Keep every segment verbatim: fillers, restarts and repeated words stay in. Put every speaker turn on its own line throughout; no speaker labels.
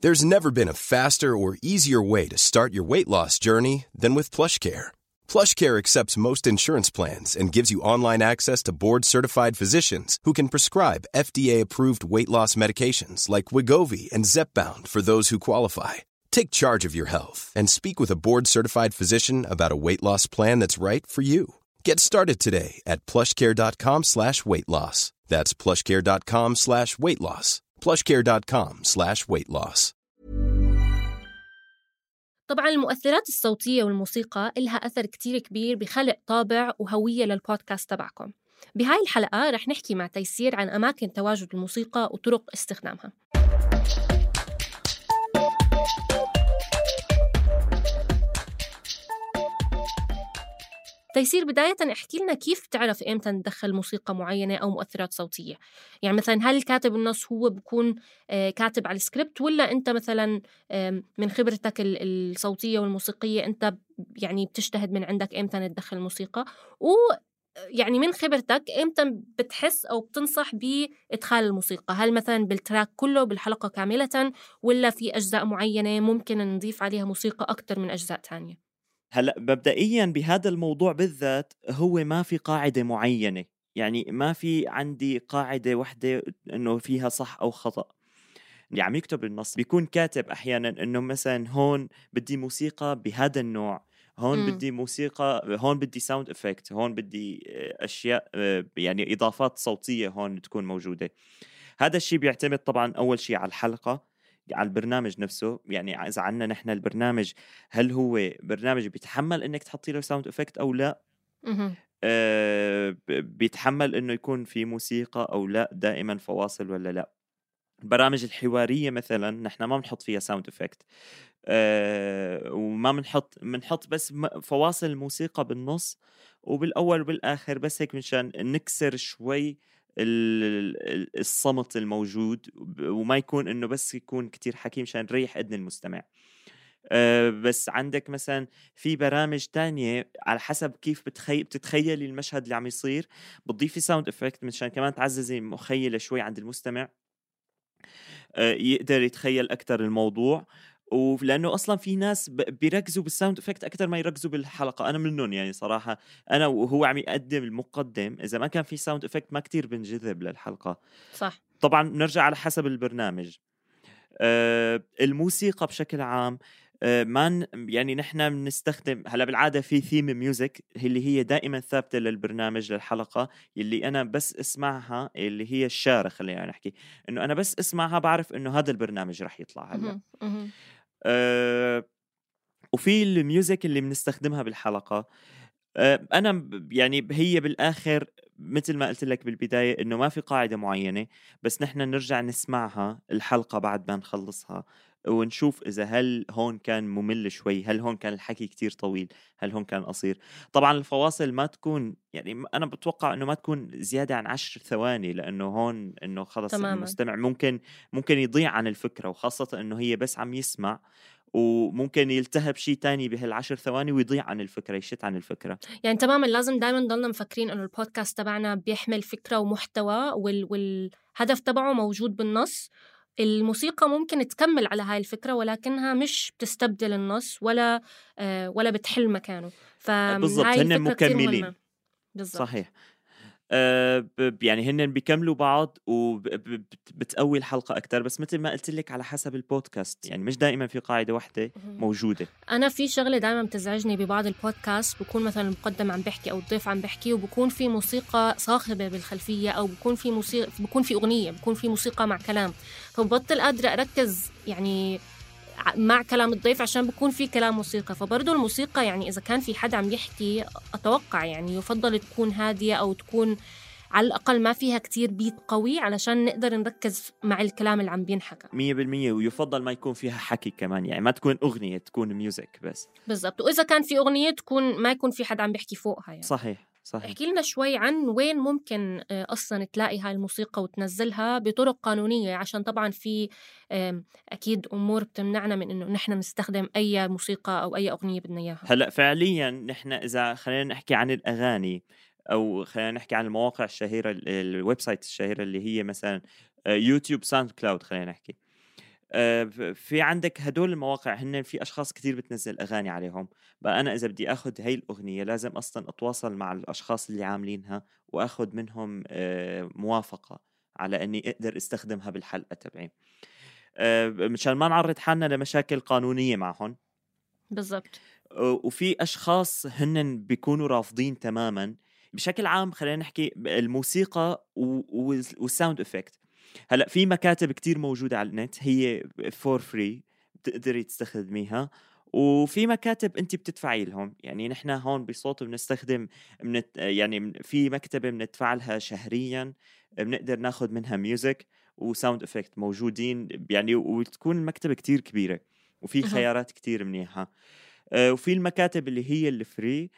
There's never been a faster or easier way to start your weight loss journey than with PlushCare. PlushCare accepts most insurance plans and gives you online access to board-certified physicians who can prescribe F D A-approved weight loss medications like Wegovy and Zepbound for those who qualify. Take charge of your health and speak with a board-certified physician about a weight loss plan that's right for you. Get started today at plushcare.com slash weight loss. That's plushcare.com slash weight loss. plushcare.com slash weight loss.
طبعاً المؤثرات الصوتية والموسيقى إلها أثر كتير كبير بخلق طابع وهوية للبودكاست تبعكم. بهاي الحلقة رح نحكي مع تيسير عن أماكن تواجد الموسيقى وطرق استخدامها. تيسير، بداية احكي لنا كيف تعرف إمتى ندخل موسيقى معينة أو مؤثرات صوتية؟ يعني مثلا هل كاتب النص هو بكون كاتب على السكريبت، ولا أنت مثلا من خبرتك الصوتية والموسيقية أنت يعني بتجتهد من عندك إمتى ندخل الموسيقى؟ ويعني من خبرتك إمتى بتحس أو بتنصح بإدخال الموسيقى؟ هل مثلا بالتراك كله بالحلقة كاملة، ولا في أجزاء معينة ممكن نضيف عليها موسيقى أكتر من أجزاء تانية؟
هلأ مبدئياً بهذا الموضوع بالذات هو ما في قاعدة معينة، يعني ما في عندي قاعدة واحدة إنه فيها صح أو خطأ. اللي عم يكتب النص بيكون كاتب أحياناً إنه مثلاً هون بدي موسيقى بهذا النوع، هون م. بدي موسيقى، هون بدي ساوند إفكت، هون بدي أشياء يعني إضافات صوتية هون تكون موجودة. هذا الشيء بيعتمد طبعاً أول شيء على الحلقة، على البرنامج نفسه. يعني إذا عنا نحن البرنامج هل هو برنامج بيتحمل إنك تحطي له ساوند إفكت أو لا، آه بيتحمل إنه يكون في موسيقى أو لا، دائما فواصل ولا لا. البرامج الحوارية مثلا نحن ما بنحط فيها ساوند إفكت، آه وما بنحط بنحط بس فواصل الموسيقى بالنص وبالأول وبالآخر، بس هيك مشان نكسر شوي الصمت الموجود، وما يكون إنه بس يكون كتير حكي مشان نريح إذن المستمع. أه بس عندك مثلا في برامج تانية على حسب كيف بتخي... بتتخيلي المشهد اللي عم يصير، بتضيفي ساوند إفكت مشان كمان تعززي مخيلة شوي عند المستمع، أه يقدر يتخيل أكتر الموضوع. ولأنه أصلاً في ناس بيركزوا بالساوند إفكت أكتر ما يركزوا بالحلقة، أنا منهم يعني صراحة. أنا وهو عم يقدم المقدم إذا ما كان في ساوند إفكت ما كتير بنجذب للحلقة.
صح.
طبعاً نرجع على حسب البرنامج. آه الموسيقى بشكل عام آه ما يعني نحن بنستخدم هلا بالعادة في ثيم ميوزك اللي هي دائماً ثابتة للبرنامج للحلقة، اللي أنا بس اسمعها، اللي هي الشارة خلينا نحكي إنه أنا بس اسمعها بعرف إنه هذا البرنامج رح يطلع هلا. أه وفي الميوزك اللي بنستخدمها بالحلقة. أه أنا يعني هي بالآخر مثل ما قلت لك بالبداية إنه ما في قاعدة معينة، بس نحن نرجع نسمعها الحلقة بعد ما نخلصها ونشوف إذا هل هون كان ممل شوي، هل هون كان الحكي كتير طويل، هل هون كان قصير. طبعا الفواصل ما تكون يعني أنا بتوقع إنه ما تكون زيادة عن عشر ثواني، لأنه هون إنه خلص تماماً. المستمع ممكن ممكن يضيع عن الفكرة، وخاصة إنه هي بس عم يسمع وممكن يلتهب شيء تاني بهالعشر ثواني ويضيع عن الفكرة، يشت عن الفكرة.
يعني تماماً لازم دايماً نضلنا مفكرين إنه البودكاست تبعنا بيحمل فكرة ومحتوى وال... والهدف تبعه موجود بالنص. الموسيقى ممكن تكمل على هاي الفكرة ولكنها مش بتستبدل النص ولا آه ولا بتحل مكانه.
بالضبط، هن مكملين.
بالضبط.
صحيح. أه يعني هن بيكملوا بعض وبتقوي الحلقة أكتر، بس مثل ما قلت لك على حسب البودكاست، يعني مش دائما في قاعدة واحدة موجودة.
أنا في شغلة دائما بتزعجني ببعض البودكاست، بكون مثلا المقدم عم بحكي أو الضيف عم بحكي وبكون في موسيقى صاخبة بالخلفية، أو بكون في موسيقى، بكون في أغنية، بكون في موسيقى مع كلام، فببطل قادرة أركز يعني مع كلام الضيف عشان بكون في كلام موسيقى. فبرضو الموسيقى يعني إذا كان في حد عم يحكي أتوقع يعني يفضل تكون هادية أو تكون على الأقل ما فيها كتير بيت قوي علشان نقدر نركز مع الكلام اللي عم بينحكى
مية بالمية. ويفضل ما يكون فيها حكي كمان، يعني ما تكون أغنية، تكون ميوزك بس.
بالضبط. وإذا كان في أغنية تكون ما يكون في حد عم بيحكي فوقها يعني.
صحيح صحيح.
احكي لنا شوي عن وين ممكن أصلاً تلاقي هاي الموسيقى وتنزلها بطرق قانونية، عشان طبعاً في أكيد أمور بتمنعنا من إنه نحن نستخدم أي موسيقى أو أي أغنية بدنا إياها.
هلأ فعلياً نحن إذا خلينا نحكي عن الأغاني أو خلينا نحكي عن المواقع الشهيرة، الويب سايت الشهيرة اللي هي مثلاً يوتيوب، ساوند كلاود، خلينا نحكي في عندك هدول المواقع هن في أشخاص كتير بتنزل أغاني عليهم. بقى أنا إذا بدي أخد هاي الأغنية لازم أصلا أتواصل مع الأشخاص اللي عاملينها وأخد منهم موافقة على أني أقدر استخدمها بالحلقة تبعي، مشان ما نعرض حالنا لمشاكل قانونية معهم.
بالضبط.
وفي أشخاص هن بيكونوا رافضين تماما. بشكل عام خلينا نحكي الموسيقى والساوند إفكت. هلأ في مكاتب كتير موجودة على النت هي فور فري بتقدري تستخدميها، وفي مكاتب انت بتدفعي لهم. يعني نحن هون بصوت بنستخدم منت يعني في مكتبة بندفع لها شهريا، بنقدر ناخد منها ميوزك وساوند إفكت موجودين يعني، وتكون المكتبة كتير كبيرة وفي خيارات كتير منيحة. وفي المكاتب اللي هي الفري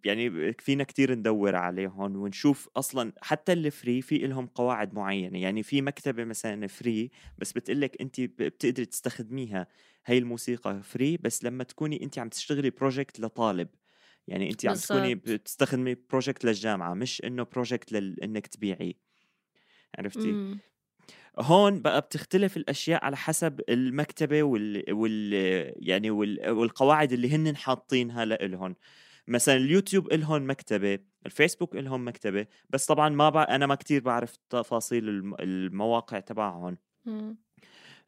يعني فينا كتير ندور عليهم ونشوف أصلا حتى الفري في لهم قواعد معينة. يعني في مكتبة مثلا فري بس بتقلك أنت بتقدر تستخدميها هاي الموسيقى فري بس لما تكوني أنت عم تشتغلي بروجكت لطالب. يعني أنت عم تكوني بتستخدمي بروجكت للجامعة مش إنه بروجكت لإنك تبيعي. عرفتي؟
مم.
هون بقى بتختلف الأشياء على حسب المكتبة وال, وال... يعني وال... والقواعد اللي هن حاطينها لإلهن. مثلا اليوتيوب إلهن مكتبة، الفيسبوك إلهم مكتبة، بس طبعا ما بع... أنا ما كتير بعرف تفاصيل المواقع تبعهم.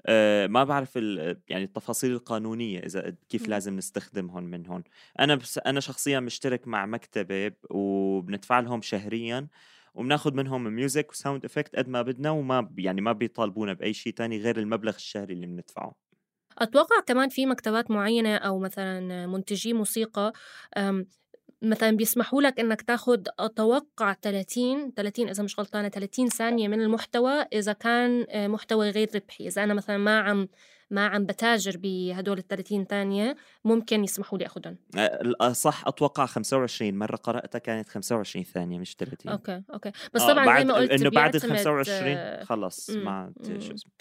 أه ما بعرف ال... يعني التفاصيل القانونية إذا كيف م. لازم نستخدمهم من هون. أنا بس... أنا شخصيا مشترك مع مكتبة وبندفع لهم شهريا وبناخد منهم ميوزك وساوند إفكت قد ما بدنا، وما يعني ما بيطالبونا بأي شيء تاني غير المبلغ الشهري اللي بندفعه.
أتوقع كمان في مكتبات معينة أو مثلا منتجي موسيقى مثلا بيسمحوا لك إنك تاخد أتوقع ثلاثين ثلاثين إذا مش غلطانة ثلاثين ثانية من المحتوى إذا كان محتوى غير ربحي. إذا أنا مثلا ما عم ما عم بتاجر بهدول الثلاثين ثانية ممكن يسمحوا لي أخدهم.
صح أتوقع خمسة وعشرين مرة قرأتها كانت خمسة وعشرين ثانية مش ثلاثين.
أوكي أوكي بس آه طبعا زي ما قلت
إنه بعد خمسة وعشرين خلص ما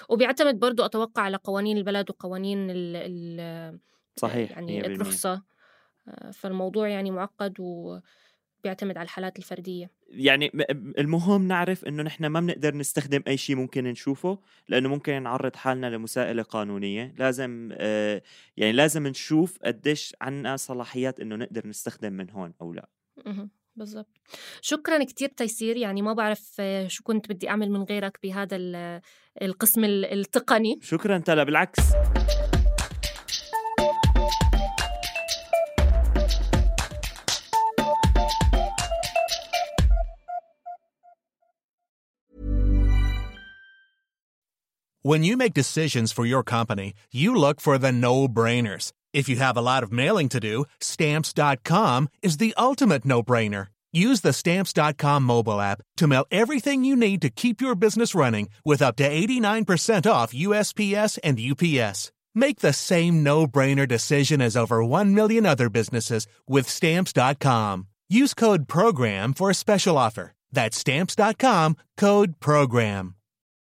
وبيعتمد برضو أتوقع على قوانين البلد وقوانين ال ال
صحيح
يعني الرخصة. فالموضوع يعني معقد وبيعتمد على الحالات الفردية.
يعني المهم نعرف إنه نحن ما بنقدر نستخدم أي شيء ممكن نشوفه لأنه ممكن نعرض حالنا لمساءلة قانونية. لازم آه يعني لازم نشوف قديش عنا صلاحيات إنه نقدر نستخدم من هون أو لا.
بالضبط. شكرا كتير تيسير. يعني ما بعرف شو كنت بدي أعمل من غيرك بهذا القسم التقني.
شكرا تلا بالعكس.
When you make decisions for your company, you look for the no-brainers. If you have a lot of mailing to do, Stamps dot com is the ultimate no-brainer. Use the Stamps dot com mobile app to mail everything you need to keep your business running with up to eighty-nine percent off U S P S and U P S. Make the same no-brainer decision as over one million other businesses with Stamps dot com. Use code PROGRAM for a special offer. That's Stamps dot com, code PROGRAM.